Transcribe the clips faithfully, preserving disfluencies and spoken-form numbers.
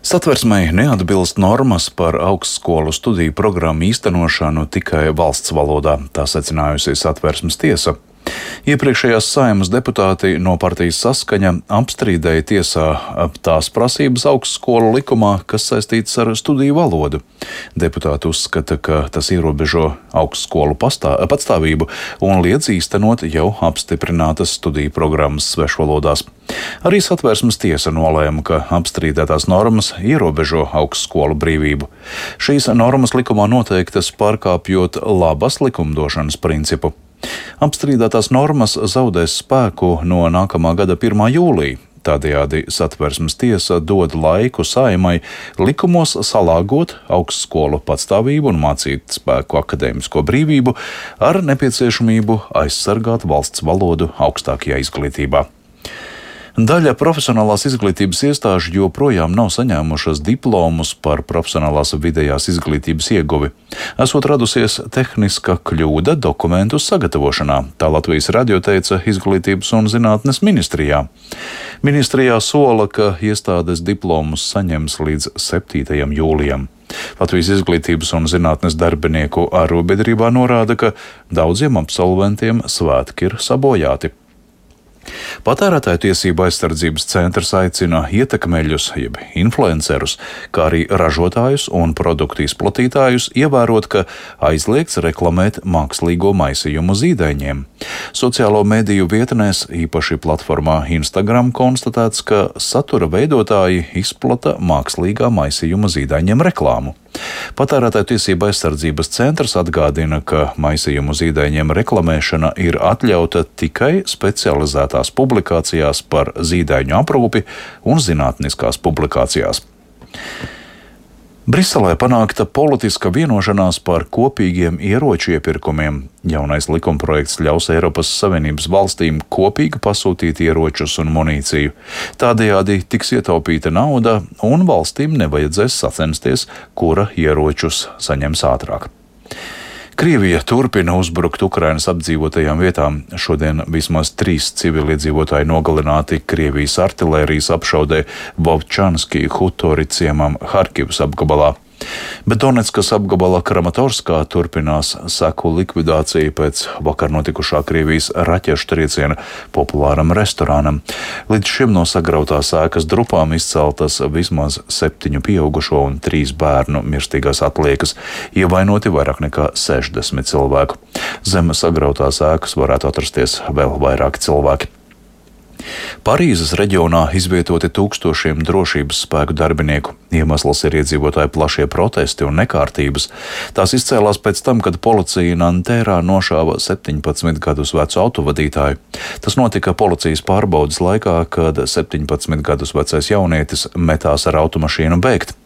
Satversmei neatbilst normas par augstskolu studiju programmu īstenošanu tikai valsts valodā, tā secinājusi Satversmes tiesa. Iepriekšējās Saeimas deputāti no partijas Saskaņa apstrīdēja tiesā tās prasības augstskolu likumā, kas saistītas ar studiju valodu. Deputāti uzskata, ka tas ierobežo augstskolu pastā, patstāvību un liedz īstenot jau apstiprinātas studiju programmas svešvalodās. Arī Satversmes tiesa nolēma, ka apstrīdētās normas ierobežo augstskolu brīvību. Šīs normas likumā noteiktas pārkāpjot labas likumdošanas principu. Apstrīdētās normas zaudēs spēku no nākamā gada pirmā jūlija. Tādējādi Satversmes tiesa dod laiku Saeimai likumos salāgot augstskolu patstāvību un mācīt spēku akadēmisko brīvību ar nepieciešamību aizsargāt valsts valodu augstākajā izglītībā. Daļa profesionālās izglītības iestāžu joprojām nav saņēmušas diplomus par profesionālās vidējās izglītības ieguvi. Esot radusies tehniska kļūda dokumentu sagatavošanā, tā Latvijas radio teica Izglītības un zinātnes ministrijā. Ministrijā sola, ka iestādes diplomus saņems līdz septītajam jūlijam. Latvijas Izglītības un zinātnes darbinieku arobiedrībā norāda, ka daudziem absolventiem svētki ir sabojāti. Patērētāju tiesību aizsardzības centrs aicina ietekmeļus, jeb influencerus, kā arī ražotājus un produktu izplatītājus ievērot, ka aizliegts reklamēt mākslīgo maisījumu zīdaiņiem. Sociālo mediju vietnēs, īpaši platformā Instagram, konstatēts, ka satura veidotāji izplata mākslīgā maisījuma zīdaiņiem reklāmu. Patērētāju tiesību aizsardzības centrs atgādina, ka maisījumu zīdaiņiem reklamēšana ir atļauta tikai specializētās publikācijās par zīdaiņu aprūpi un zinātniskās publikācijās. Briselē panākta politiska vienošanās par kopīgiem ieroču iepirkumiem. Jaunais likumprojekts ļaus Eiropas Savienības valstīm kopīgi pasūtīt ieročus un munīciju. Tādējādi tiks ietaupīta nauda un valstīm nevajadzēs sacensties, kura ieročus saņems ātrāk. Krievija turpina uzbrukt Ukrainas apdzīvotajām vietām. Šodien vismaz trīs civiliedzīvotāji nogalināti Krievijas artilērijas apšaudē Vovčanski Hutori ciemam Harkivas apgabalā. Bet Donetskas apgabala Kramatorskā turpinās seku likvidācija pēc vakar notikušā Krievijas raķešu trieciena populāram restorānam. Līdz šim no sagrautās ēkas drupām izceltas vismaz septiņu pieaugušo un trīs bērnu mirstīgās atliekas, ievainoti vairāk nekā sešdesmit cilvēku. Zem sagrautās ēkas varētu atrasties vēl vairāki cilvēki. Parīzes reģionā izvietoti tūkstošiem drošības spēku darbinieku. Iemesls ir iedzīvotāju plašie protesti un nekārtības. Tās izcēlās pēc tam, kad policija Nantērā nošāva septiņpadsmit gadus vecu autovadītāju. Tas notika policijas pārbaudes laikā, kad septiņpadsmit gadus vecais jaunietis metās ar automašīnu bēgt.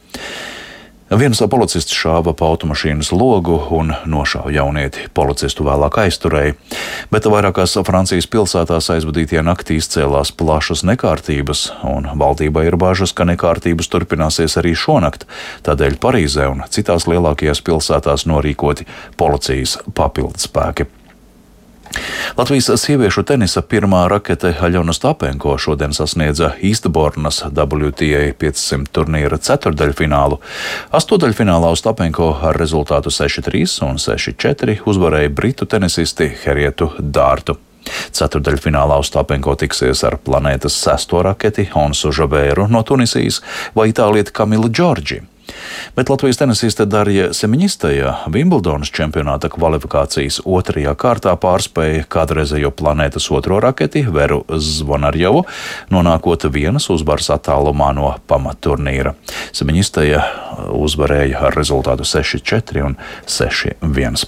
Viens policists šāva pa automašīnas logu un nošāva jaunieti. Policistu vēlāk aizturēja, bet vairākās Francijas pilsētās aizvadītajā naktī izcēlās plašas nekārtības, un valdībai ir bažas, ka nekārtības turpināsies arī šonakt. Tādēļ Parīzē un citās lielākajās pilsētās norīkoti policijas papildspēki. Latvijas sieviešu tenisa pirmā rakete Aļona Stapenko šodien sasniedza Īstbornas W T A piecsimt turnīra ceturdaļfinālu. Astodaļfinālā Stapenko ar rezultātu seši trīs un seši četri uzvarēja britu tenisisti Herietu Dārtu. Ceturdaļfinālā Stapenko tiksies ar planētas sesto raketi Onsu Žavēru no Tunisijas vai itālieti Kamilu Džordži. Bet Latvijas tenisiste Darja Semiņistaja Vimbldonas čempionāta kvalifikācijas otrajā kārtā pārspēja kādreizējo planētas otro raketi Veru Zvonarjovu, nonākot vienas uzvaras attālumā no pamatturnīra. Semiņistaja uzvarēja ar rezultātu seši četri un seši viens.